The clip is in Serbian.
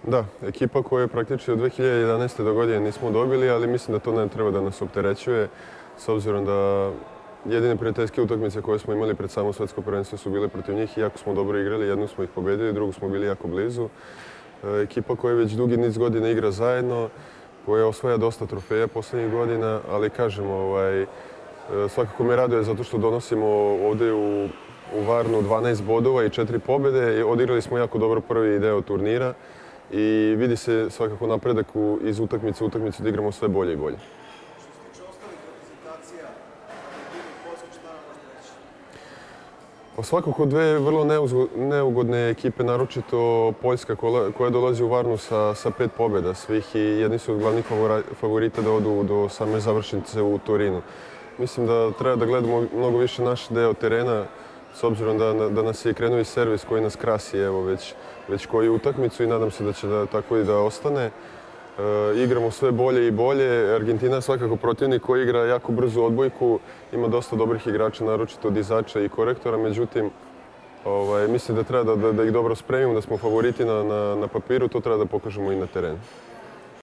Da, ekipa koju praktički od 2011. do godine nismo dobili, ali mislim da to ne treba da nas opterećuje, s obzirom da jedine prijateljske utakmice koje smo imali pred samo svetsko prvenstvo su bile protiv njih i jako smo dobro igrali, jednu smo ih pobedili, drugu smo bili jako blizu. Ekipa koja već dugi niz godina igra zajedno, koja osvaja dosta trofeja poslednjih godina, ali kažem, svakako me raduje zato što donosimo ovde u Varnu 12 bodova i 4 pobede. Odigrali smo jako dobro prvi deo turnira i vidi se svakako napredak iz utakmice u utakmicu da igramo sve bolje i bolje. Što se tiče ostalih reprezentacija, Argentini i Poljska, šta nam možete reći? Svakako dve vrlo neugodne ekipe, naročito Poljska koja dolazi u Varnu sa 5 pobjeda svih i jedni su od glavnih favorita da odu do same završnice u Torinu. Mislim da treba da gledamo mnogo više naš deo terena, s obzirom da nas je krenuo i servis koji nas krasi već koju utakmicu i nadam se da će tako i da ostane. Igramo sve bolje i bolje. Argentina je svakako protivnik koji igra jako brzu odbojku, ima dosta dobrih igrača, naročito dizača i korektora, međutim mislim da treba da ih dobro spremimo, da smo favoriti na papiru, to treba da pokažemo i na terenu.